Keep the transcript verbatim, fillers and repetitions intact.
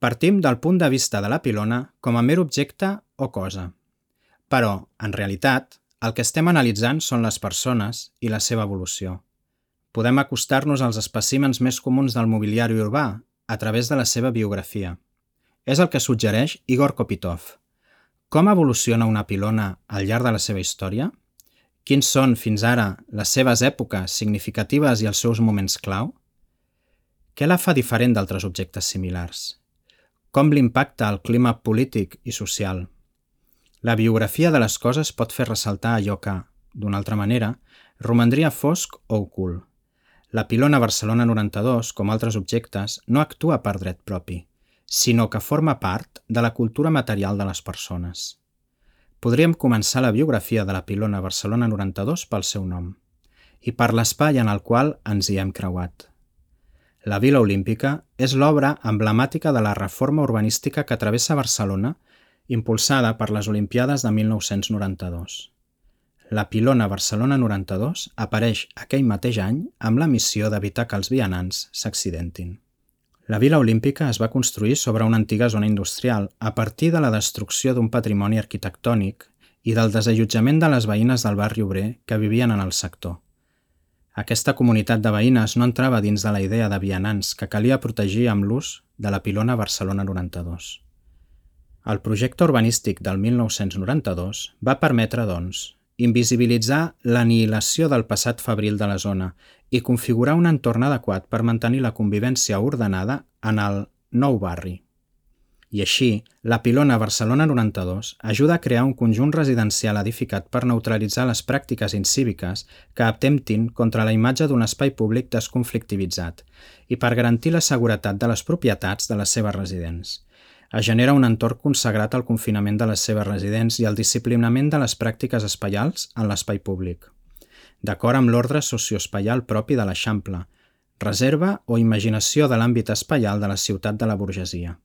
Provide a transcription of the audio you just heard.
Partim del punt de vista de la pilona com a mer objecte o cosa. Però, en realitat, el que estem analitzant són les persones i la seva evolució. Podem acostar-nos als espècimens més comuns del mobiliari urbà a través de la seva biografia. És el que suggereix Igor Kopytov. Com evoluciona una pilona al llarg de la seva història? Quins són, fins ara, les seves èpoques significatives i els seus moments clau? Què la fa diferent d'altres objectes similars? Com l'impacta el clima polític i social? La biografia de les coses pot fer ressaltar allò que, d'una altra manera, romandria fosc o ocult. La pilona Barcelona noranta-dos, com altres objectes, no actua per dret propi, sinó que forma part de la cultura material de les persones. Podríem començar la biografia de la pilona Barcelona noranta-dos pel seu nom i per l'espai en el qual ens hi hem creuat. La Vila Olímpica és l'obra emblemàtica de la reforma urbanística que travessa Barcelona, impulsada per les Olimpiades de mil nou-cents noranta-dos. La pilona Barcelona noranta-dos apareix aquell mateix any amb la missió d'evitar que els vianants s'accidentin. La Vila Olímpica es va construir sobre una antiga zona industrial a partir de la destrucció d'un patrimoni arquitectònic i del desallotjament de les veïnes del barri obrer que vivien en el sector. Aquesta comunitat de veïnes no entrava dins de la idea de vianants que calia protegir amb l'ús de la pilona Barcelona noranta-dos. El projecte urbanístic del mil nou-cents noranta-dos va permetre, doncs, invisibilitzar l'anihilació del passat fabril de la zona i configurar un entorn adequat per mantenir la convivència ordenada en el nou barri. I així, la pilona Barcelona noranta-dos ajuda a crear un conjunt residencial edificat per neutralitzar les pràctiques incíviques que atemptin contra la imatge d'un espai públic desconflictivitzat i per garantir la seguretat de les propietats de les seves residents. Es genera un entorn consagrat al confinament de les seves residents i al disciplinament de les pràctiques espaials en l'espai públic, d'acord amb l'ordre socioespaial propi de l'Eixample, reserva o imaginació de l'àmbit espaial de la ciutat de la burgesia.